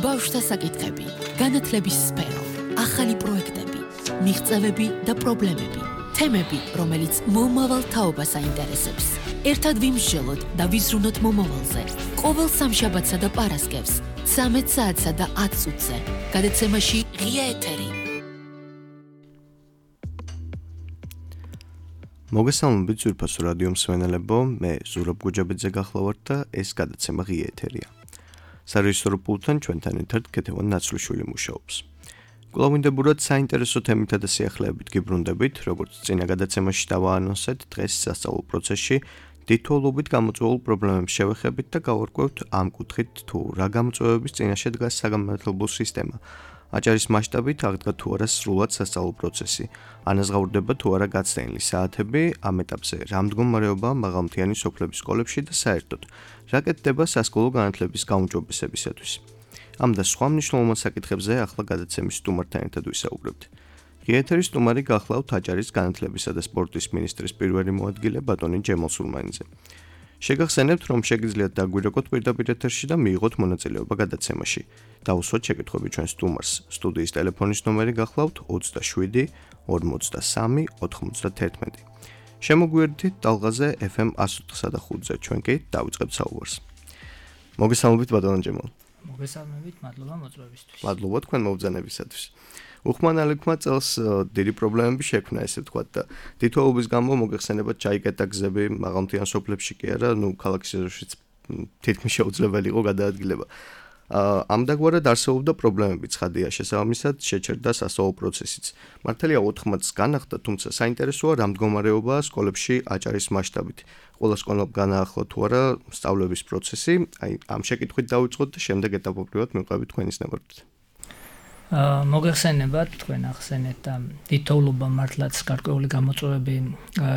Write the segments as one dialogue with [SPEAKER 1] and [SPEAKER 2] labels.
[SPEAKER 1] ბავშვთა საკითხები, განათლების სფერო, ახალი პროექტები, მიღწევები და პრობლემები, თემები, რომელიც მომავალ თაობას აინტერესებს. ერთად ვიმსჯელოთ და ვიზრუნოთ მომავალზე. ყოველ სამშაბათსა და პარასკევს, 13 საათსა და 10 წუთზე. გადაცემაში ღია ეთერი.
[SPEAKER 2] მოგესალმებით ძვირფასო რადიო მსმენელებო, მე ზურაბ გუჯაბიძე გახლავართ და ეს გადაცემა ღია ეთერია. სარეჟისორო პულტთან ჩვენთან ერთად ქეთევან ნაცვლიშვილი მუშაობს. კვლავინდებურად საინტერესო თემითა და სიახლეებით გიბრუნდებით, როგორც წინა გადაცემაში დავაანონსეთ, დღეს სასწავლო პროცესში თითოეულობით გამოწვეულ პრობლემებს შევეხებით და გავარკვევთ ამ კუთხით თუ რა გამოწვევების წინაშე დგას საგანმანათლებლო სისტემა. აჭარის მასშტაბით აღდგა თუ არა სრულად სასწავლო პროცესი, ანაზღაურდება თუ არა გაცდენილი საათები, ამ ეტაპზე რა მდგომარეობაა მაღალმთიანი სოფლების სკოლებში და საერთოდ რა კეთდება სასკოლო განათლების გაუმჯობესებისათვის. ამ და სხვა მნიშვნელოვან საკითხებზე ახლა გადაცემის სტუმართან ერთად ვისაუბრებთ. ღია ეთერის სტუმარი გახლავთ აჭარის განათლებისა და სპორტის მინისტრის პირველი მოადგილე ბატონი ჯემალ სულმანიძე. შეგახსენებთ, რომ შეგიძლიათ დაგვირეკოთ პირდაპირ ეთერში და მიიღოთ მონაწილეობა გადაცემაში. დავუსვათ შეკითხვები ჩვენ სტუმარს. სტუდიის ტელეფონის ნომერი გახლავთ 27 43 91. შემოგვიერთდით ტალღაზე FM 104.5-ზე, ჩვენ კი დავიწყებთ საუბარს. მოგესალმებით ბატონო ჯემალ.
[SPEAKER 3] მოგესალმებით, მადლობა მოწვევისთვის.
[SPEAKER 2] მადლობა თქვენ მობრძანებისათვის. უხმანალექმა წელს დიდი პრობლემები შექმნა, ესე ვთქვათ და თითოეულობის გამო მოგეხსენებათ ჩაიკეტა გზები მაღალმთიან სოფლებში კი არა, ქალაქის ეზოშიც თითქმის შეუძლებელი იყო გადაადგილება. ამდაგვარად არსებობდა პრობლემები ცხადია, შესაბამისად შეჩერდა სასწავლო პროცესიც. მართალია 4 მათს განახდა, თუმცა საინტერესოა რა მდგომარეობაა სკოლებში აჭარის მასშტაბით. ყველა სკოლამ განაახლა თუ არა სწავლების პროცესი, ამ შეკითხვით დავიწყოთ და შემდეგ ეტაპობრივად მივყევით თქვენის ნებართვით.
[SPEAKER 3] მოგეხსენებათ, თქვენ ახსენეთ და თითოეულობა მართლაც გარკვეული გამოწვევები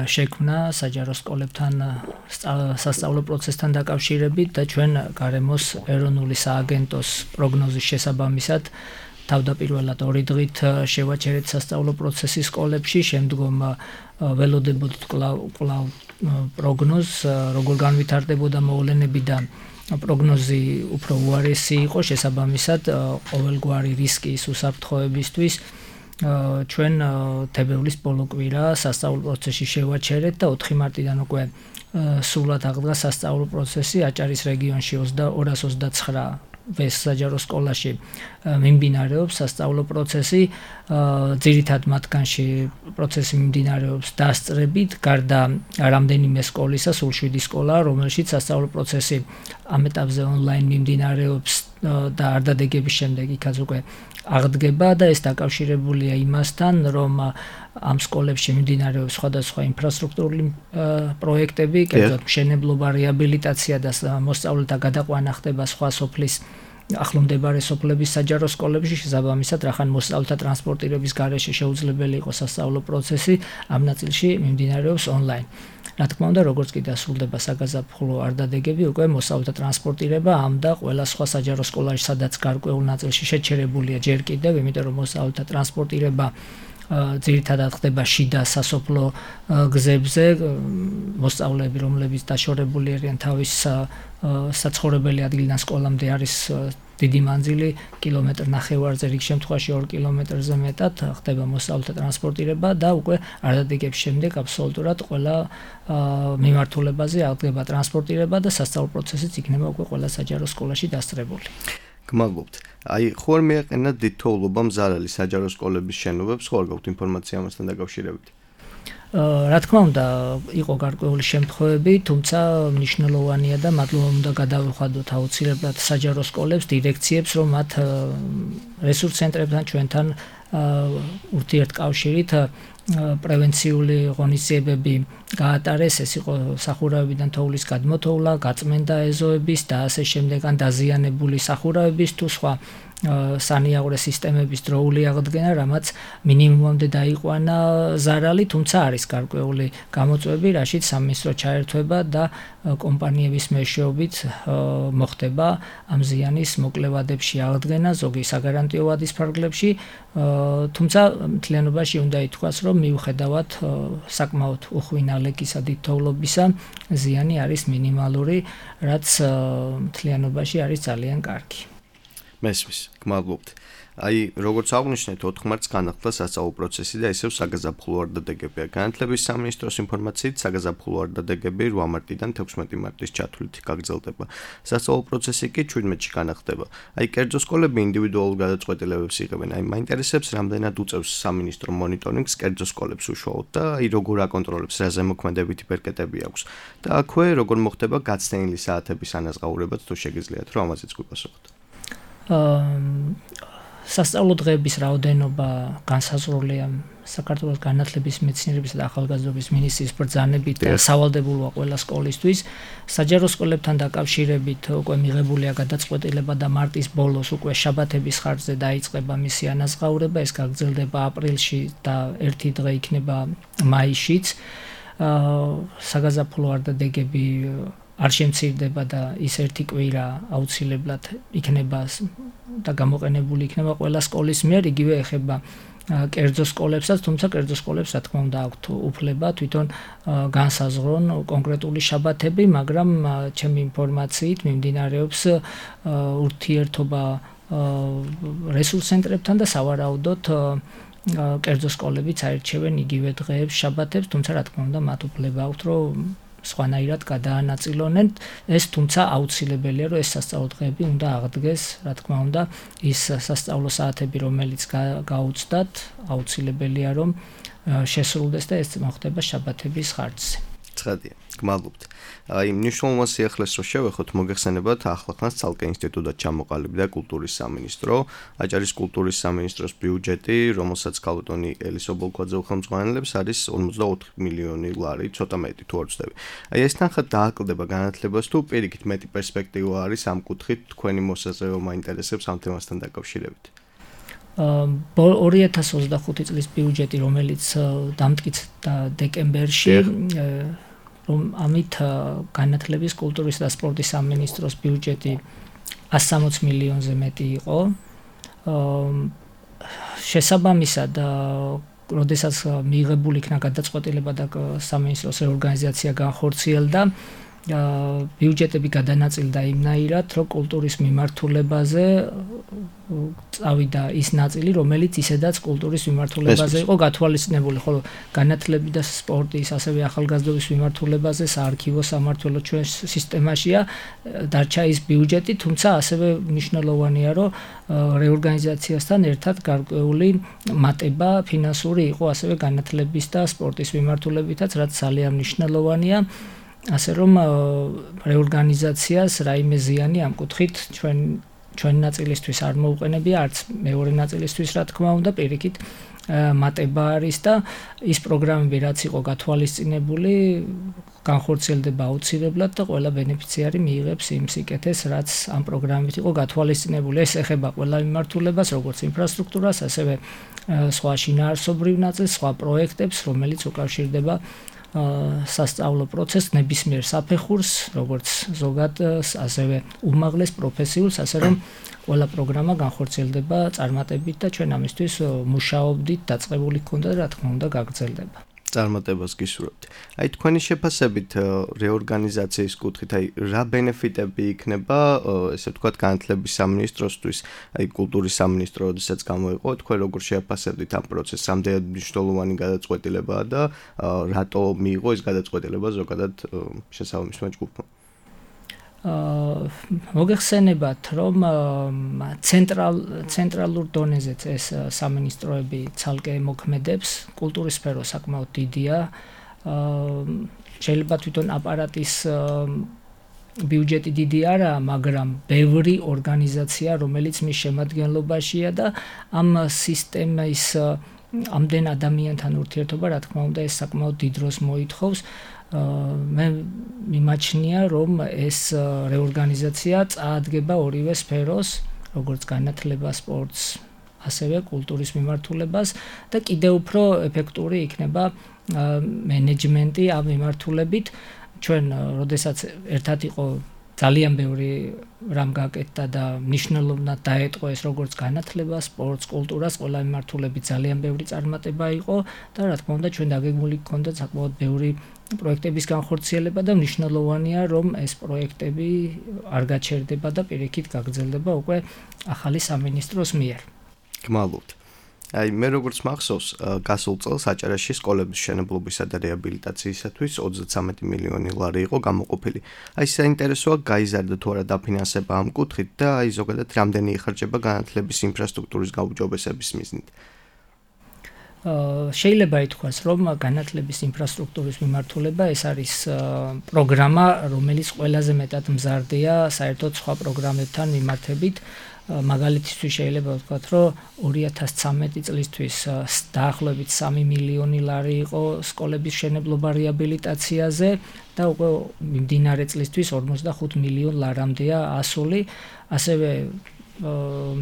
[SPEAKER 3] შექმნა საჯარო სკოლებთან სასწავლო პროცესთან დაკავშირებით და ჩვენ გარემოს ეროვნული სააგენტოს პროგნოზის შესაბამისად თავდაპირველად 2 დღით შევაჩერეთ სასწავლო პროცესი სკოლებში, შემდგომ ველოდებოდით კვლავ პროგნოზს, როგორ განვითარდებოდა მოვლენები და პროგნოზი უფრო უარესი იყო, შესაბამისად ყოველგვარი რისკის უსაფრთხოებისთვის ჩვენ თებერვლის ბოლო კვირა სასწავლო პროცესში შევაჩერეთ და 4 მარტიდან უკვე სრულად აღდგა სასწავლო პროცესი აჭარის რეგიონში 229 საჯარო სკოლაში მიმდინარეობს სასწავლო პროცესი, ძირითად მათგანში პროცესი მიმდინარეობს დასწრებით, გარდა რამდენიმე სკოლისა, სულ 7 სკოლა, რომელშიც სასწავლო პროცესი ამ ეტაპზე ონლაინ მიმდინარეობს და არ დადეგების შემდეგ იქაც უკვე აღდგება და ეს დაკავშირებულია იმასთან, რომ ამ სკოლებში მიმდინარეობს სხვადასხვა ინფრასტრუქტურული პროექტები, კერძოდ მშენებლობა, რეაბილიტაცია და მოსწავლეთა გადაყვანა ხდება სხვა სოფლის ახლომდებარე სოფლების საჯარო სკოლებში, შესაბამისად რახან მოსწავლეთა ტრანსპორტირების გარეშე შეუძლებელი იყო სასწავლო პროცესი, ამ ნაწილში მიმდინარეობს ონლაინ. რა თქმა უნდა, როგორც კი დასრულდება საგაზაფხულო არდადეგები, უკვე მოსწავლეთა ტრანსპორტირება ამ და ყველა სხვა საჯარო სკოლაში, სადაც გარკვეულ ნაწილში შეჩერებულია ჯერ კიდევ, იმიტომ რომ მოსწავლეთა ტრანსპორტირება ძირითადად ხდება შიდა სასოფლო გზებზე, მოსწავლეები, რომლებიც დაშორებული არიან თავის საცხოვრებელი ადგილიდან სკოლამდე არის დიდი მანძილი, კილომეტრ ნახევარზე, რიგ შემთხვევაში 2 კილომეტრზე მეტად ხდება მოსწავლეთა ტრანსპორტირება და უკვე არდადეგების შემდეგ აბსოლუტურად ყველა მიმართულებაზე აღდგება ტრანსპორტირება და სასწავლო პროცესიც იქნება უკვე ყველა საჯარო სკოლაში დასწრებული.
[SPEAKER 2] გმადლობთ. ხო არ მეაყენა თითოეულობამ ზარალი საჯარო სკოლების შენობებს, ხო არ გაქვთ ინფორმაცია ამასთან დაკავშირებით?
[SPEAKER 3] რა თქმა უნდა, იყო გარკვეული შემთხვევები, თუმცა მნიშვნელოვანია და მადლობა უნდა გადავიხადოთ აუცილებლად საჯარო სკოლებს, დირექციებს, რომ მათ რესურს ცენტრებთან ჩვენთან ურთიერთკავშირით პრევენციული ღონისძიებები გაატარეს, ეს იყო სახურავებიდან თოვლის გადმოთოვლა, გაწმენდა ეზოების და ასე შემდეგ, ან დაზიანებული სახურავების თუ სხვა სანიაღვრე სისტემების დროული აღდგენა, რამაც მინიმუმამდე დაიყვანა ზარალი, თუმცა არის გარკვეული გამოწვევები, რაშიც სამინისტრო ჩაერთვება და კომპანიების მეშვეობით მოხდება ამ ზიანის მოკლევადებში აღდგენა, ზოგი საგარანტიო ვადის ფარგლებში, თუმცა მთლიანობაში უნდა ითქვას, რომ მიუხედავად საკმაოდ უხვინა ლეკისა დიდთოვლობისა, ზიანი არის მინიმალური, რაც მთლიანობაში არის ძალიან კარგი.
[SPEAKER 2] მესმის, გმადლობთ. Აი, როგორც აღნიშნეთ, 4 მარტს განახლდა სასწავლო პროცესი და ისევ საგაზაფხულო არდადეგებია. განათლების სამინისტროს ინფორმაციით, საგაზაფხულო არდადეგები 8 მარტიდან 16 მარტის ჩათვლით გაგრძელდება. სასწავლო პროცესი კი 17-ში განახდება. აი, კერძო სკოლები ინდივიდუალურ გადაწყვეტილებებს იღებენ. აი, მაინტერესებს, რამდენად უწევს სამინისტრო მონიტორინგს კერძო სკოლებს უშუალოდ და აი, როგორ აკონტროლებს, რა ზემოქმედებითი პერკეტები აქვს. და აქვე როგორ მოხდება გაცდენილი საათების ანაზღაურებაც, თუ შეგიძლიათ, რომ ამაზეც გვიპასუხოთ.
[SPEAKER 3] სასწავლო დღეების რაოდენობა განსაზღვრულია საქართველოს განათლების მეცნიერებისა და ახალგაზრდობის მინისტრის ბრძანებით და სავალდებულოა ყველა სკოლისთვის. საჯარო სკოლებთან დაკავშირებით უკვე მიღებულია გადაწყვეტილება და მარტის ბოლოს უკვე შაბათების ხარჯზე დაიწყება მისი ანაზღაურება. ეს გაგრძელდება აპრილში და ერთი დღე იქნება მაისშიც. საგაზაფხულო არდადეგები არ შემცირდება და ის ერთი კვირა აუცილებლად იქნება და გამოყენებული იქნება ყველა სკოლის მიერ, იგივე ეხება კერძო სკოლებსაც, თუმცა კერძო სკოლებს რა თქმა უნდა აქვთ უფლება თვითონ განსაზღვრონ კონკრეტული შაბათები, მაგრამ ჩემი ინფორმაციით მიმდინარეობს ურთიერთობა რესურს ცენტრებთან და სავარაუდოდ კერძო სკოლებიც აირჩევენ იგივე დღეებს, შაბათებს, თუმცა რა თქმა უნდა მათ უფლება აქვთ, რომ სხვანაირად გადაანაწილონენ. ეს თუმცა აუცილებელია, რომ ეს სასწავლო დღეები უნდა აღდგეს, რა თქმა უნდა, ის სასწავლო საათები, რომელიც გაუწდათ, აუცილებელია, რომ შესრულდეს და ეს მოხდება შაბათების ხარჯზე.
[SPEAKER 2] ცხადია, გმადლობთ. აი, მნიშვნელოვან სიახლეს რო შევეხოთ, მოგეხსენებათ, ახლახანს ცალკე ინსტიტუტად ჩამოყალიბდა კულტურის სამინისტრო, აჭარის კულტურის სამინისტროს ბიუჯეტი, რომელსაც ქალბატონი ელის ობოლქვაძე უხელმძღვანელებს, არის 54 მილიონი ლარი, ცოტა მეტი თუ არ ვცდები. აი, ეს თანხა დააკლდება განათლებას თუ პირიქით მეტი პერსპექტივა არის ამ კუთხით, თქვენი მოსაზრება მაინტერესებს ამ თემასთან დაკავშირებით.
[SPEAKER 3] 2025 წლის ბიუჯეტი, რომელიც დამტკიცდა დეკემბერში, რომ ამით განათლების, კულტურის და სპორტის სამინისტროს ბიუჯეტი 160 მილიონზე მეტი იყო. შესაბამისად, როდესაც მიღებული იქნა გადაწყვეტილება და სამინისტროს რეორგანიზაცია განხორციელდა, ბიუჯეტები გადანაწილდა იმნაირად, რომ კულტურის მიმართულებაზე წავიდა ის ნაწილი, რომელიც ისედაც კულტურის მიმართულებაზე იყო გათვალისწინებული, ხოლო განათლების და სპორტის, ასევე ახალგაზრდობის მიმართულებაზე საარქივო სამმართველო ჩვენ სისტემაშია დარჩა ის ბიუჯეტი, თუმცა ასევე მნიშვნელოვანია, რომ რეორგანიზაციასთან ერთად გარკვეული მატება ფინანსური იყო ასევე განათლების და სპორტის მიმართულებითაც, რაც ძალიან მნიშვნელოვანია. ასე რომ რეორგანიზაციას რაიმე ზიანი ამ კუთხით ჩვენ ნაწილისთვის არ მოუყენებია, არც მეორე ნაწილისთვის რა თქმა უნდა, პირიქით მატება არის და ის პროგრამები რაც იყო გათვალისწინებული, განხორციელდება აუცილებლად და ყველა ბენეფიციარი მიიღებს იმ სიკეთეს, რაც ამ პროგრამით იყო გათვალისწინებული. ეს ეხება ყველა მიმართულებას, როგორც ინფრასტრუქტურას, ასევე სხვა შინაარსობრივ ნაწილს, სხვა პროექტებს, რომელიც უკავშირდება სასწავლო პროცესს, ნებისმიერ საფეხურს, როგორც ზოგადს, ასევე უმაღლეს პროფესიულს, ასე რომ ყველა პროგრამა განხორციელდება წარმატებით და ჩვენ ამისთვის მუშაობდით, დაწყებული გქონდა და რა თქმა უნდა გაგრძელდება.
[SPEAKER 2] წარმატებას გისურვებთ. აი, თქვენი შეფასებით რეორგანიზაციის კუთხით, აი, რა ბენეფიტები იქნება, ესე ვთქვათ, განათლების სამინისტროსთვის, აი, კულტურის სამინისტრო, როდესაც გამოიყო, თქვენ როგორ შეაფასებდით ამ პროცესს, რამდენად მნიშვნელოვანი გადაწყვეტილებაა და რატო მიიღო ეს გადაწყვეტილება ზოგადად შესაბამისმა ჯგუფმა?
[SPEAKER 3] მოგეხსენებათ, რომ ცენტრალურ დონეზეც ეს სამინისტროები ცალკე მოქმედებს, კულტურის სფერო საკმაოდ დიდია, შეიძლება თვითონ აპარატის ბიუჯეტი დიდი არაა, მაგრამ ბევრი ორგანიზაცია, რომელიც მის შემადგენლობაშია და ამ სისტემის ამდენ ადამიანთან ურთიერთობა, რა თქმა უნდა, ეს საკმაოდ დიდ დროს მოითხოვს. მე მიმაჩნია, რომ ეს რეორგანიზაცია წაადგება ორივე სფეროს, როგორც განათლება, სპორტს, ასევე კულტურის მიმართულებას და კიდევ უფრო ეფექტური იქნება მენეჯმენტი ამ მიმართულებით. ჩვენ, როდესაც ერთად იყო ძალიან ბევრი რამ გაკეთდა და მნიშვნელოვნად დაეტყო ეს როგორც განათლება, სპორტს, კულტურას, ყველა მიმართულებით ძალიან ბევრი წარმატება იყო და რა თქმა უნდა ჩვენ დაგეგმული გქონდა საკმაოდ ბევრი პროექტების განხორციელება და მნიშვნელოვანია რომ ეს პროექტები არ გაჩერდება და პირიქით გაგრძელდება უკვე ახალი სამინისტროს მიერ.
[SPEAKER 2] გმალობთ. აი მე როგორც მახსოვს, გასულ წელს აჭარაში სკოლების მშენებლობისა და რეაბილიტაციისათვის 33 მილიონი ლარი იყო გამოყოფილი. აი საინტერესოა გაიზარდა თუ არა დაფინანსება ამ კუთხით და აი ზოგადად რამდენი იხარჯება განათლების ინფრასტრუქტურის გაუმჯობესების მიზნით.
[SPEAKER 3] შეიძლება ითქვას, რომ განათლების ინფრასტრუქტურის მიმართულება ეს არის პროგრამა, რომელიც ყველაზე მეტად მზარდია საერთოდ სხვა პროგრამებთან მიმართებით. მაგალითისთვის შეიძლება ვთქვათ, რომ 2013 წლისთვის დაახლოებით 3 მილიონი ლარი იყო სკოლების მშენებლობა რეაბილიტაციაზე და უკვე მიმდინარე წლისთვის 45 მილიონ ლარამდეა ასული. ასევე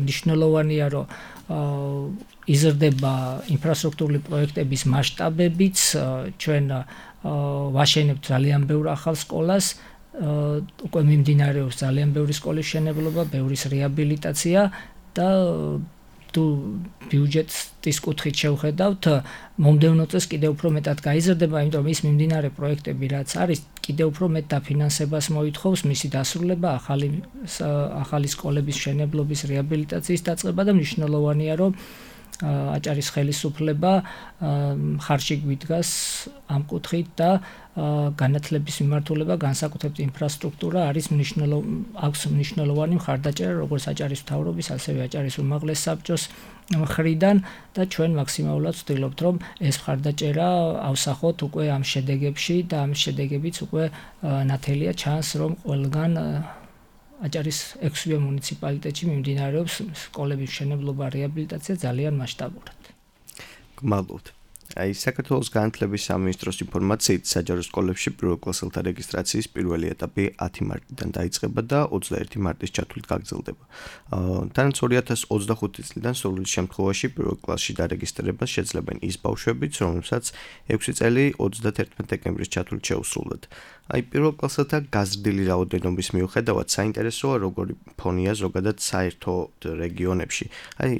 [SPEAKER 3] მნიშვნელოვანია, რომ იზრდება ინფრასტრუქტურული პროექტების მასშტაბებიც, ჩვენ ვაშენებთ ძალიან ბევრ ახალ სკოლას, უკვე მიმდინარეობს ძალიან ბევრი სკოლის მშენებლობა, ბევრის რეაბილიტაცია და თუ ბიუჯეტის კუთხით შევხედავთ, მომდევნო წელს კიდევ უფრო მეტად გაიზრდება, იმიტომ რომ ის მიმდინარე პროექტები რაც არის, კიდევ უფრო მეტ დაფინანსებას მოითხოვს მისი დასრულება, ახალი სკოლების მშენებლობის რეაბილიტაციის დაწყება და მნიშვნელოვანია, რომ აჭარის ხელისუფლება ხარში გვიდგას ამ კუთხით და განათლების მიმართულება, განსაკუთრებით ინფრასტრუქტურა არის აქვს მნიშვნელოვანი მხარდაჭერა როგორც აჭარის მთავრობის, ასევე აჭარის უმაღლეს საბჭოს მხრიდან და ჩვენ მაქსიმალურად ვცდილობთ, რომ ეს მხარდაჭერა ავსახოთ უკვე ამ შედეგებში და ამ შედეგებიც უკვე ნათელია ჩანს, რომ ყველგან აჭარის 6 მუნიციპალიტეტში მიმდინარეობს სკოლების მშენებლობა, რეაბილიტაცია ძალიან მასშტაბურად.
[SPEAKER 2] გმალობთ. აი საქართველოს განათლების სამინისტროს ინფორმაციით საჯარო სკოლებში პირველ კლასელთა რეგისტრაციის პირველი ეტაპი 10 მარტიდან დაიწყება და 21 მარტის ჩათვლით გაგრძელდება. თანაც 2025 წლიდან სრული შემთხვევაში პირველ კლასში დარეგისტრებას შეძლებენ ის ბავშვებიც, რომლებსაც 6 წელი 31 დეკემბრის ჩათვლით შეუსრულდათ. აი პირველ კლასელთა გაზრდილი რაოდენობის მიუხედავად საინტერესოა როგორი ფონია ზოგადად საერთოდ რეგიონებში. აი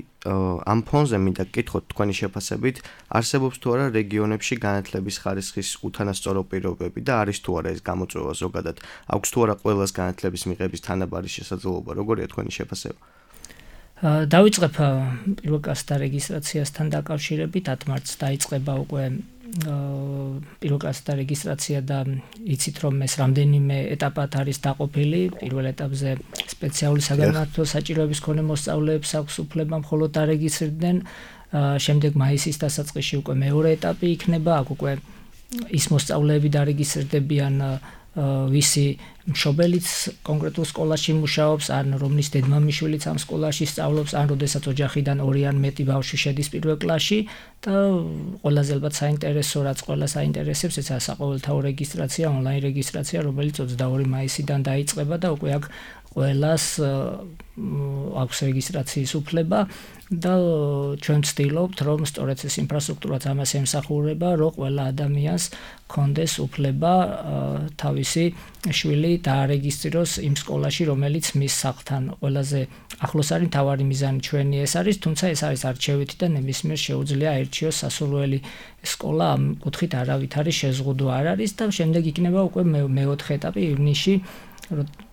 [SPEAKER 2] ამ ფონზე მინდა გკითხოთ თქვენი შეფასებით, არსებობს თუ არა რეგიონებში განათლების ხარისხის უთანასწორო პირობები და არის თუ არა ეს გამოწვევა ზოგადად? აქვს თუ არა ყველას განათლების მიღების თანაბარი შესაძლებლობა? როგორია თქვენი შეფასება?
[SPEAKER 3] დავიწყებ პირველ კლასთა რეგისტრაციასთან დაკავშირებით, 10 მარტს დაიწყება უკვე პირველ კლასთა რეგისტრაცია და იცით რომ ეს რამდენიმე ეტაპად არის დაყოფილი. პირველ ეტაპზე სპეციალური საგანმანათლებლო საჭიროების მქონე მოსწავლეებს აქვს უფლება მხოლოდ დარეგისტრირდნენ. შემდეგ მაისის დასაწყისში უკვე მეორე ეტაპი იქნება, აქ უკვე ის მოსწავლეები დარეგისტრირდებიან, ვისი მშობელიც კონკრეტულ სკოლაში მუშაობს, ან რომლის დედმამიშვილიც ამ სკოლაში სწავლობს, ან როდესაც ოჯახიდან 2 ან მეტი ბავშვი შედის პირველ კლასში და ყველაზე ალბათ საინტერესო, რაც ყველას აინტერესებს, ესაა საყოველთაო რეგისტრაცია, ონლაინ რეგისტრაცია, რომელიც 22 მაისიდან დაიწყება და უკვე აქ ყველას აქვს რეგისტრაციის უფლება და ჩვენ ვცდილობთ, რომ სწორედ ეს ინფრასტრუქტურაც ამას ემსახურება, რომ ყველა ადამიანს კონდეს უფლება თავისი შვილი დაარეგისტრიროს იმ სკოლაში, რომელიც მის სახლთან ყველაზე ახლოს არის. მთავარი მიზანი ჩვენი ეს არის, თუმცა ეს არის არჩევითი და ნებისმიერ შეუძლია აირჩიოს სასურველი სკოლა, ამ კუთხით არავითარი შეზღუდვა არ არის და შემდეგ იქნება უკვე მეოთხე ეტაპი ივნისში,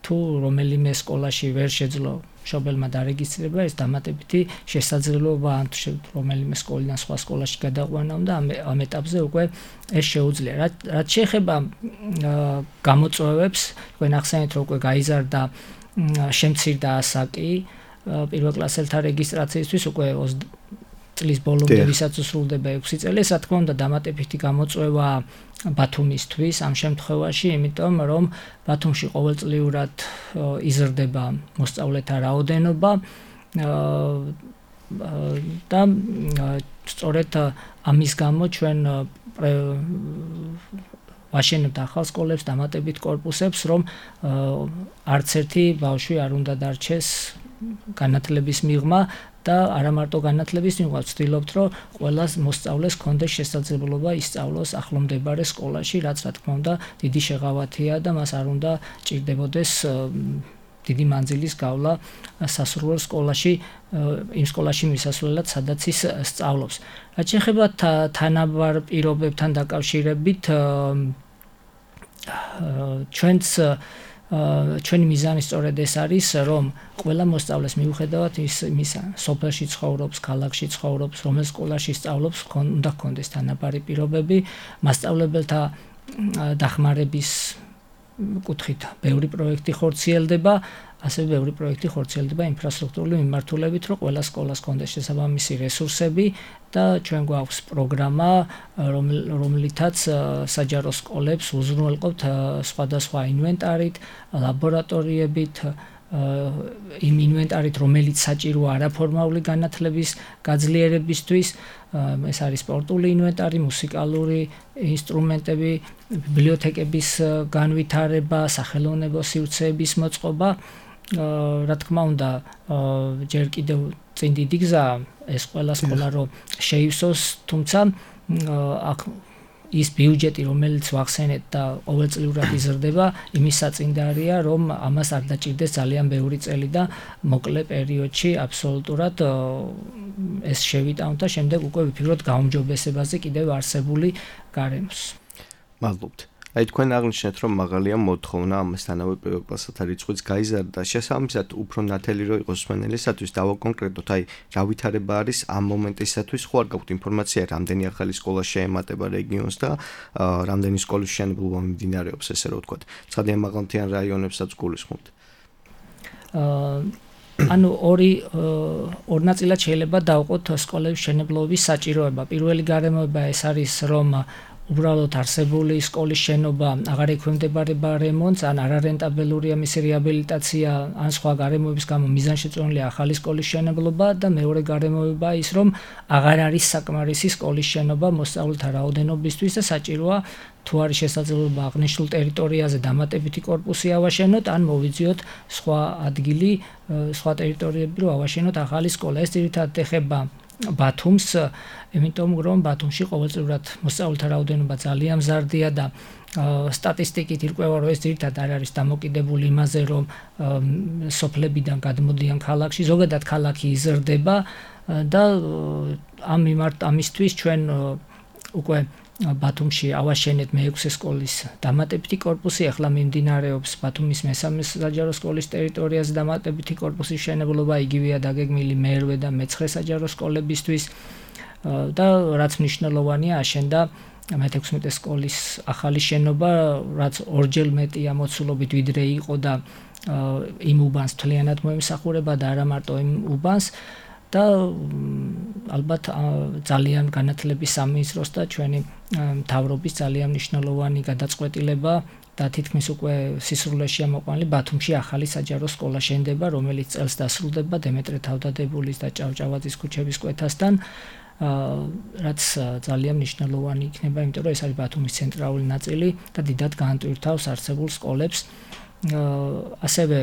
[SPEAKER 3] თუ რომელიმე სკოლაში ვერ შეძლო მშობელმა დარეგისტრირება, ეს დამატებითი შესაძლებლობა ან რომელიმე სკოლიდან სხვა სკოლაში გადაყვანა და ამ ეტაპზე უკვე ეს შეუძლია. რაც შეეხება გამოწვევებს, თქვენ ახსენეთ, რომ უკვე გაიზარდა შემცირდა ასაკი პირველ კლასელთა რეგისტრაციისთვის, უკვე წლის ბოლომდე ვისაც სრულდება 6 წელი, რა თქმა უნდა დამატებითი გამოწვევა ბათუმისთვის ამ შემთხვევაში, იმიტომ რომ ბათუმში ყოველწლიურად იზრდება მოსწავლეთა რაოდენობა და სწორედ ამის გამო ჩვენ ვაშენებთ ახალ სკოლებს, დამატებით კორპუსებს, რომ არც ერთი ბავშვი არ უნდა დარჩეს განათლების მიღმა და არა მარტო განათლების მიღმა, ვცდილობთ, რომ ყველა მოსწავლეს კონდეს შესაძლებლობა ისწავლოს ახლომდებარე სკოლაში, რაც რა თქმა უნდა დიდი შეღავათია და მას არ უნდა ჭირდებოდეს დიდი მანძილის გავლა სასურველ სკოლაში, იმ სკოლაში მისასვლელად, სადაც ის სწავლობს. რაც შეეხება თანაბარ პირობებთან დაკავშირებით, ჩვენი მიზანი სწორედ ეს არის, რომ ყველა მოსწავლეს მიუხედავად იმისა, სოფელში ცხოვრობს, ქალაქში ცხოვრობს, რომელ სკოლაში სწავლობს, უნდა ჰქონდეს თანაბარი პირობები, მასწავლებელთა დახმარების კუთხით ბევრი პროექტი ხორციელდება, ასევე ბევრი პროექტი ხორციელდება ინფრასტრუქტურული მიმართულებით, რომ ყველა სკოლას ჰქონდეს შესაბამისი რესურსები და ჩვენ გვაქვს პროგრამა, რომლითაც საჯარო სკოლებს უზრუნველყოფთ სხვადასხვა ინვენტარით, ლაბორატორიებით, იმ ინვენტარით, რომელიც საჭიროა არაფორმალური განათლების გაძლიერებისთვის, ეს არის სპორტული ინვენტარი, მუსიკალური ინსტრუმენტები, ბიბლიოთეკების განვითარება, სახელოვნებო სივრცეების მოწყობა. Რა თქმა უნდა, ჯერ კიდევ წინ დიდი გზაა ეს ყველა სკოლა რომ შეივსოს, თუმცა აქ ის ბიუჯეტი, რომელიც ვახსენეთ და ყოველწლიურად იზრდება, იმის საწინდარია, რომ ამას არ დაჭირდეს ძალიან ბევრი წელი და მოკლე პერიოდში აბსოლუტურად ეს შევიტანოთ და შემდეგ უკვე ვიფიქროთ გაუმჯობესებაზე კიდევ არსებული გარემოს.
[SPEAKER 2] მადლობთ. Აი თქვენ აღნიშნეთ, რომ მაღალია მოთხოვნა ამასთანავე პირველ კლასათა რიცხვიც გაიზარდა. შესაბამისად, უფრო ნათელი რო იყოს მსმენელისათვის დავაკონკრეტოთ, აი რა ვითარება არის ამ მომენტისათვის, ხო არ გაქვთ ინფორმაცია, რამდენი ახალი სკოლა შეემატება რეგიონს და რამდენი სკოლის მშენებლობა მიმდინარეობს, ესე რომ ვთქვათ. ცხადიან მაღალმთიან რაიონებსაც გულისხმობთ.
[SPEAKER 3] ანუ ორ ნაწილად შეიძლება დავყოთ სკოლების მშენებლობის საჭიროება. პირველი გარემოება ეს არის, რომ უბრალოდ არსებული სკოლის შენობა აღარ ექვემდებარება რემონტს, ან არარენტაბელურია მისი რეაბილიტაცია, ან სხვა გარემოების გამო მიზანშეწონილია ახალი სკოლის შენებლობა და მეორე გარემოება ის, რომ აღარ არის საკმარისი სკოლის შენობა მოსწავლეთა რაოდენობისთვის და საჭიროა თუ არის შესაძლებლობა აღნიშნულ ტერიტორიაზე დამატებითი კორპუსი ავაშენოთ, ან მოვიძიოთ სხვა ადგილი, სხვა ტერიტორიები, რომ ავაშენოთ ახალი სკოლა. ეს ძირითადად ეხება ბათუმს, იმიტომ რომ ბათუმში ყოველწლიურად მოსწავლეთა რაოდენობა ძალიან მზარდია და სტატისტიკით ირკვევა, რომ ეს ძირითადად არ არის დამოკიდებული იმაზე, რომ სოფლებიდან გადმოდიან ქალაქში, ზოგადად ქალაქი იზრდება და ამისთვის ჩვენ უკვე ბათუმში ავაშენეთ მე-6 სკოლის დამატებითი კორპუსი, ახლა მიმდინარეობს ბათუმის მე-3 საჯარო სკოლის ტერიტორიაზე დამატებითი კორპუსის მშენებლობა, იგივეა დაგეგმილი მე-8 და მე-9 საჯარო სკოლებისთვის და რაც მნიშვნელოვანია, აშენდა მე-16 სკოლის ახალი შენობა, რაც ორჯერ მეტია მოცულობით ვიდრე იყო და იმ უბანს მთლიანად მოემსახურება და არა მარტო იმ უბანს და ალბათ ძალიან განათლების სამინისტროს და ჩვენი მთავრობის ძალიან მნიშვნელოვანი გადაწყვეტილება და თითქმის უკვე სისრულეშია მოყვანილი ბათუმში ახალი საჯარო სკოლა შენდება, რომელიც წელს დასრულდება დემეტრე თავდადებულის და ჭავჭავაძის ქუჩების კვეთასთან, რაც ძალიან მნიშვნელოვანი იქნება, იმიტომ რომ ეს არის ბათუმის ცენტრალური ნაწილი და დიდად გაანტვირთავს არსებულ სკოლებს. ასევე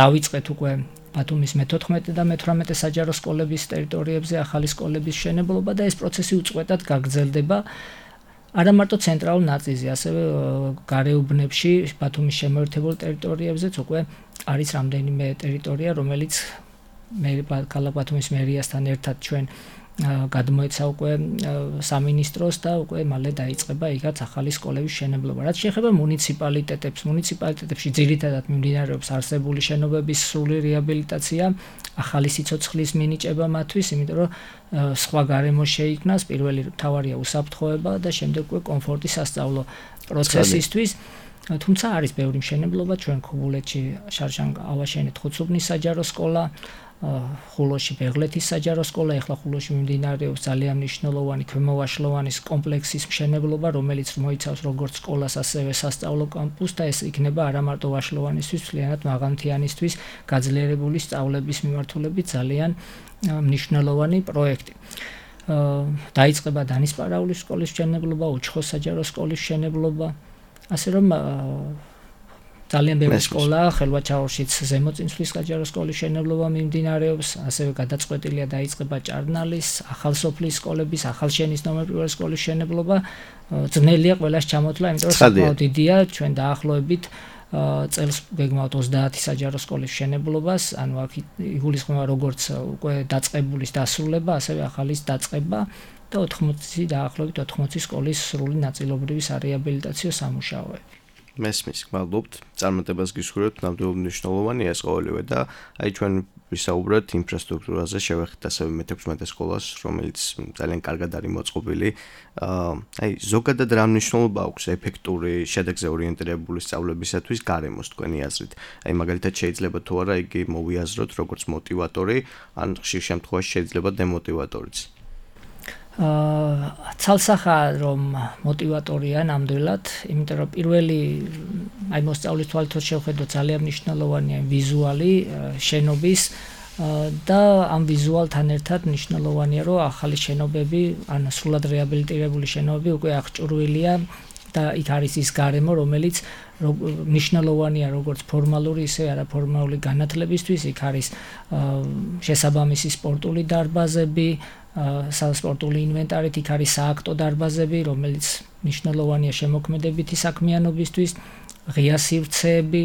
[SPEAKER 3] დავიწყეთ უკვე ბათუმის მე-14 და მე-18 საჯარო სკოლების ტერიტორიებზე ახალი სკოლების მშენებლობა და ეს პროცესი უწყვეტად გაგრძელდება. არა მარტო ცენტრალურ ნაწილზე, ასევე გარეუბნებში, ბათუმის შემოერთებულ ტერიტორიებზეც უკვე არის რამდენიმე ტერიტორია, რომელიც ქალაქ ბათუმის მერიასთან ერთად ჩვენ გადმოეცა უკვე სამინისტროს და უკვე მალე დაიწყება იქაც ახალი სკოლების მშენებლობა. რაც შეეხება მუნიციპალიტეტებში ძირითადად მიმდინარეობს არსებული შენობების სრული რეაბილიტაცია, ახალი სიცოცხლის მინიჭება მათთვის, იმიტომ რომ სხვა გარემო შეიქმნას, პირველი მთავარია უსაფრთხოება და შემდეგ უკვე კომფორტი სასწავლო პროცესისთვის. თუმცა არის ბევრი მშენებლობა, ჩვენ ქობულეთში შარშან ავაშენეთ ხუცუბნის საჯარო სკოლა, ხულოში ბეღლეთის საჯარო სკოლა, ახლა ხულოში მიმდინარეობს ძალიან მნიშვნელოვანი ქვემოვაშლოვანის კომპლექსის მშენებლობა, რომელიც მოიცავს როგორც სკოლას, ასევე სასწავლო კამპუსს და ეს იქნება არა მარტო ვაშლოვანისთვის, მთლიანად მაღალმთიანისთვის გაძლიერებული სწავლების მიმართულებით ძალიან მნიშვნელოვანი პროექტი. დაიწყება დანისპარაულის სკოლის მშენებლობა, უჩხოს საჯარო სკოლის მშენებლობა, ასე რომ ძალიან ბევრი სკოლა, ხელვაჩაურშიც ზემოწინსვლის საჯარო სკოლის მშენებლობა მიმდინარეობს, ასევე გადაწყვეტილია დაიწყება ჭარნალის, ახალსოფლის სკოლების, ახალშენის ნომერ 1 სკოლის მშენებლობა. ძნელია ყველას ჩამოთვლა, იმიტომ რომ საკმაოდ დიდია, ჩვენ დაახლოებით წელს გეგმავთ 30 საჯარო სკოლის მშენებლობას, ანუ აქ იგულისხმება როგორც უკვე დაწყებულის დასრულება, ასევე ახალის დაწყება და 80 დაახლოებით 80 სკოლის სრული ნაწილობრივი სარეაბილიტაციო სამუშაოები.
[SPEAKER 2] მესმის, გმადლობთ. წარმატებას გისურვებთ, ნამდვილად მნიშვნელოვანია ეს ყოველივე და აი ჩვენ ვისაუბრეთ ინფრასტრუქტურაზე, შევეხეთ ასევე მე-16 სკოლას, რომელიც ძალიან კარგად არის მოწყობილი. აი ზოგადად რა მნიშვნელობა აქვს ეფექტური, შედეგზე ორიენტირებული სწავლებისათვის გარემოს თქვენი აზრით? აი მაგალითად შეიძლება თუ არა იგი მოვიაზროთ როგორც მოტივატორი, ან ხშირ შემთხვევაში შეიძლება დემოტივატორიც.
[SPEAKER 3] ცალსახაა რომ მოტივატორია ნამდვილად, იმიტომ რომ პირველი აი მოსწავლის თვალთოს შევხედოთ ძალიან მნიშვნელოვანია ვიზუალი შენობის და ამ ვიზუალთან ერთად მნიშვნელოვანია რომ ახალი შენობები, ან სრულად რეაბილიტირებული შენობები უკვე აღჭურვილია და იქ არის ის გარემო, რომელიც მნიშვნელოვანია როგორც ფორმალური, ისე არაფორმალური განათლებისთვის, იქ არის შესაბამისი სპორტული დარბაზები, სპორტული ინვენტარით, იქ არის სააქტო დარბაზები, რომელიც მნიშვნელოვანია შემოქმედებითი საქმიანობისთვის, ღია სივრცეები,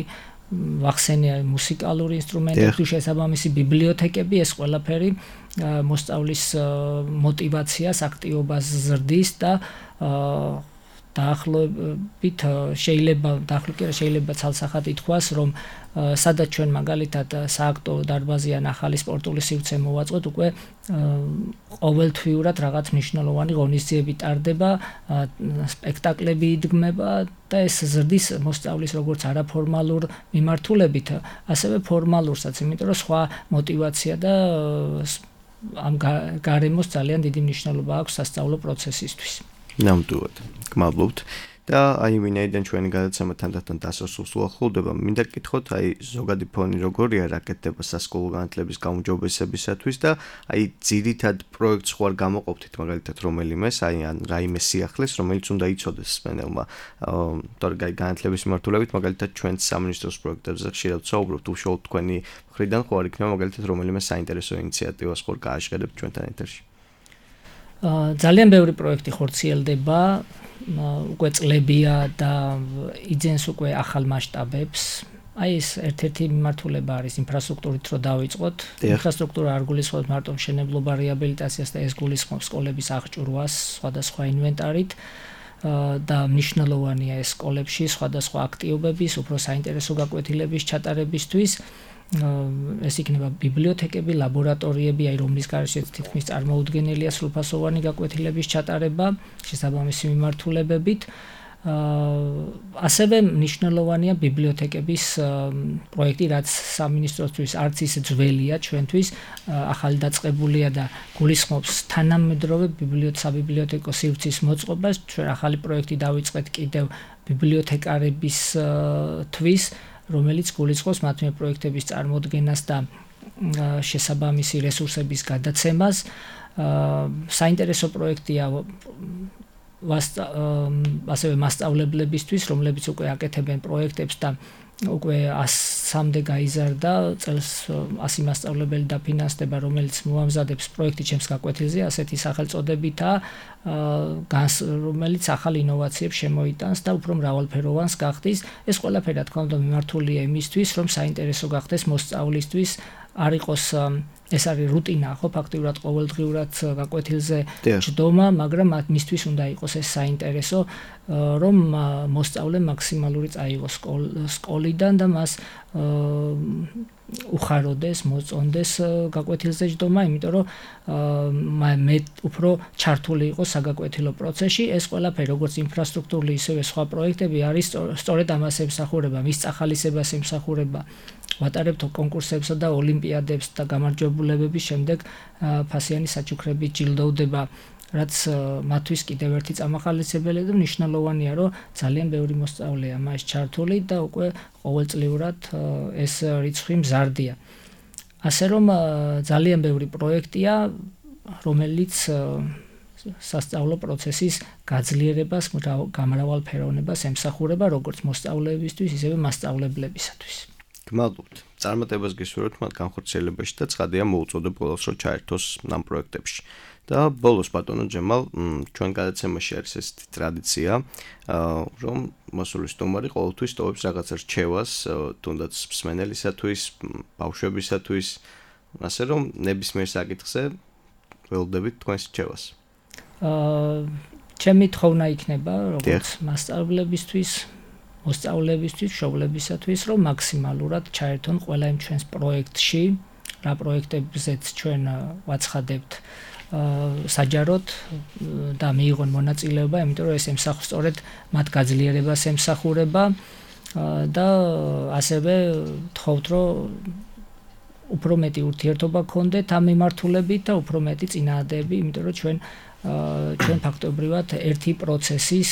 [SPEAKER 3] ვახსენია მუსიკალური ინსტრუმენტები, შესაბამისი ბიბლიოთეკები, ეს ყველაფერი მოსწავლის მოტივაციას, აქტივობას ზრდის და დაახლოებით შეიძლება ცალსახად ითქვას, რომ სადაც ჩვენ მაგალითად სააქტო დარბაზი ან ახალი სპორტული სივრცე მოვაწყოთ, უკვე ყოველთვიურად რაღაც მნიშვნელოვანი ღონისძიებები ტარდება, სპექტაკლები იდგმება და ეს ზრდის მოსწავლის როგორც არაფორმალურ მიმართულებით, ასევე ფორმალურსაც, იმიტომ რომ სხვა მოტივაცია და ამ გარემოს ძალიან დიდი მნიშვნელობა აქვს სასწავლო პროცესისთვის.
[SPEAKER 2] ნამდვილად. გმადლობთ. და აი ვინაიდან ჩვენი გადაცემა თანდათან დასასრულს უახლოვდება, მინდა გკითხოთ, აი ზოგადი ფონი როგორია რაკეთდება სასკოლო განათლების გაუმჯობესებისათვის და აი ძირითად პროექტს ხوار გამოყოფთ მაგალითად რომელიმეს, აი ან რაიმე სიახლეს, რომელიც უნდა იცოდეს სპენელმა, თორე განათლების მიმართულებით, მაგალითად ჩვენ სამინისტროს პროექტებზე ხშირად ვსაუბრობთ, უშუალოდ თქვენი მხრიდან ხوار იქნება მაგალითად რომელიმე საინტერესო ინიციატივას ხوار გააშკერებთ ჩვენთან ეთერში.
[SPEAKER 3] ძალიან ბევრი პროექტი ხორციელდება, უკვე წლებია და იძენს უკვე ახალ მასშტაბებს. აი ეს ერთ-ერთი მიმართულება არის ინფრასტრუქტურით რო დავიწყოთ. ინფრასტრუქტურა არ გულისხმობს მარტო მშენებლობა, რეაბილიტაციას და ეს გულისხმობს სკოლების აღჭურვას სხვადასხვა ინვენტარით და მნიშვნელოვანია ეს სკოლებში სხვადასხვა აქტივობების, უფრო საინტერესო გაკვეთილების ჩატარებისთვის. ეს იქნება ბიბლიოთეკები, ლაბორატორიები, აი რომლის გარეშეც თითქმის წარმოუდგენელია სრულფასოვანი გაკვეთილების ჩატარება შესაბამისი მიმართულებებით. ასევე მნიშვნელოვანია ბიბლიოთეკების პროექტი, რაც სამინისტროსთვის არც ისე ძველია ჩვენთვის, ახალი დაწყებულია და გულისხმობს თანამედროვე საბიბლიოთეკო სივრცის მოწყობას. ჩვენ ახალი პროექტი დავიწყეთ კიდევ ბიბლიოთეკარებისთვის, რომელიც გულისხმობს მათი პროექტების წარმოდგენას და შესაბამისი რესურსების გადაცემას. საინტერესო პროექტია ასევე მასწავლებლებისთვის, რომლებიც უკვე აკეთებენ პროექტებს და უკვე 100-მდე გაიზარდა წელს 100 მასწავლებელი დაფინანსდება, რომელიც მოამზადებს პროექტი ჩემს გაკვეთილზე, ასეთი სახელწოდებითა, რომელიც ახალ ინოვაციებს შემოიტანს და უფრო მრავალფეროვანს გახდის. ეს ყველაფერი რა თქმა უნდა მიმართულია იმისთვის, რომ საინტერესო გახდეს მოსწავლისთვის, არ იყოს ეს არის რუტინა, ხო, ფაქტიურად ყოველდღიურად გაკვეთილზე ჯდომა, მაგრამ მისთვის უნდა იყოს ეს საინტერესო, რომ მოსწავლე მაქსიმალური წაიღოს სკოლიდან და მას უხაროდეს, მოწონდეს გაკვეთილზე ჯდომა, იმიტომ რომ მე უფრო ჩართული იყოს საგაკვეთილო პროცესში. ეს ყველაფერი როგორც ინფრასტრუქტურული, ისევე სხვა პროექტები არის სწორედ ამას ემსახურება, მის წახალისებას ემსახურება. ვატარებთ კონკურსებსა და ოლიმპიადებს და გამარჯვებულებების შემდეგ ფასიანი საჩუქრები ჯილდოვდება, რაც მათთვის კიდევ ერთი წამახალისებელია და მნიშვნელოვანია, რომ ძალიან ბევრი მოსწავლეა მას ჩართული და უკვე ყოველწლიურად ეს რიცხვი მზარდია. ასე რომ ძალიან ბევრი პროექტია, რომელიც სასწავლო პროცესის გაძლიერებას, გამრავალფეროვნებას ემსახურება როგორც მოსწავლეებისთვის, ისევე მასწავლებლებისათვის.
[SPEAKER 2] გმადლობთ. წარმატებას გისურვებთ მათ განხორციელებაში და ცხადია მოუწოდებ ყველას რომ ჩაერთოს ამ პროექტებში. და ბოლოს ბატონო ჯემალ, ჩვენ გადაცემაში არის ესეთი ტრადიცია, რომ მოსული სტუმარი ყოველთვის ტოვებს რაღაც რჩევას, თუნდაც მსმენელისათვის, ბავშვებისათვის, ასე რომ ნებისმიერ საკითხზე ველოდებით თქვენს რჩევას.
[SPEAKER 3] ჩემი თხოვნა იქნება როგორც მასწავლებლებისთვის, მოსწავლეებისთვის, მშობლებისათვის, რომ მაქსიმალურად ჩაერთონ ყველა იმ ჩვენს პროექტში, რა პროექტებზეც ჩვენ ვაცხადებთ საჯაროდ და მიიღონ მონაწილეობა, იმიტომ რომ ეს ემსახურება სწორედ მათ გაძლიერებას ემსახურება და ასევე თხოვთ, რომ უფრო მეტი ურთიერთობა გქონდეთ ამ მიმართულებით და უფრო მეტი წინააღმდეგები, იმიტომ რომ ჩვენ ფაქტობრივად ერთი პროცესის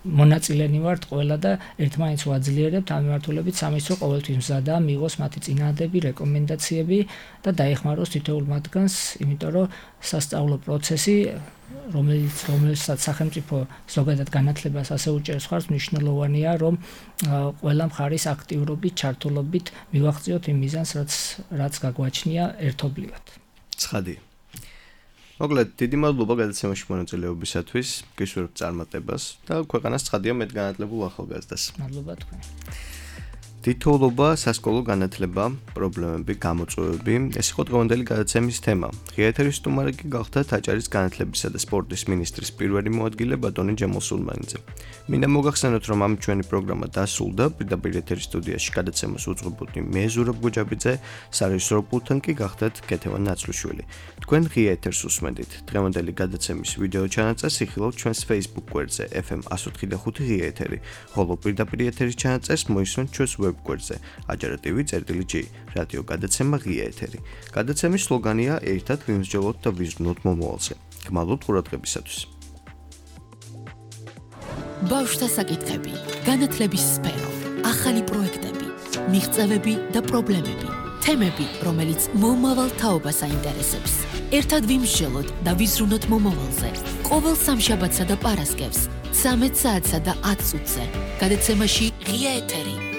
[SPEAKER 3] მონაწილენი ვართ ყველა და ერთმანეთს ვაძლიერებთ ამ მიმართულებით, სამის რომ ყოველთვის მზადაა მიიღოს მათი წინააღმდეგები, რეკომენდაციები და დაეხმაროს თითოეულ მათგანს, იმიტომ რომ სასწავლო პროცესი, რომელსაც სახელმწიფო ზოგადად განათლებას ასე უჭერს ხარს, მნიშვნელოვანია, რომ ყველა მხარის აქტიურობით, ჩართულობით მივაღწიოთ იმ მიზანს, რაც გაგვაჩნია ერთობლივად.
[SPEAKER 2] ცხადია. მოკლედ, დიდი მადლობა გადაცემაში მონაწილეობისათვის, გისურვებთ წარმატებას და ქვეყანას ცხადია მეტგანათლებულ ახალგაზრდას.
[SPEAKER 3] მადლობა თქვენ.
[SPEAKER 2] თითოეულობა, სასკოლო განათლება, პრობლემები, გამოწვევები, ეს იყო დღევანდელი გადაცემის თემა. ღია ეთერის სტუმარი კი გახდა აჭარის განათლებისა და სპორტის მინისტრის პირველი მოადგილე ბატონი ჯემალ სულმანიძე. მინდა მოგახსენოთ, რომ ამ ჩვენი პროგრამა დასრულდა, პირდაპირ ეთერის სტუდიაში გადაცემას უძღვებოდი მე ზურაბ გუჯაბიძე, სარეჟისორო პულტთან კი გახდათ კეთევან ნაცრუშვილი. თქვენ ღია ეთერს უსმენდით. დღევანდელი გადაცემის ვიდეო ჩანაწერს იხილავთ ჩვენს Facebook გვერდზე FM 104.5 ღია ეთერი, ხოლო პირდაპირ ეთერის ჩანაწერს მოისმენთ ჩვენს გვერდზე აჯარა TV.G რადიო გადაცემა ღია ეთერი. გადაცემის სლოგანია ერთად ვიმსჯელოთ და ვიზრუნოთ მომავალზე. გმადლობთ ყურადღებისათვის.
[SPEAKER 1] ბავშვთა საკითხები, განათლების სფერო, ახალი პროექტები, მიღწევები და პრობლემები, თემები, რომელიც მომავალ თაობას აინტერესებს. ერთად ვიმსჯელოთ და ვიზრუნოთ მომავალზე. ყოველ სამშაბათსა და პარასკევს 13 საათსა და 10 წუთზე. გადაცემაში ღია ეთერი.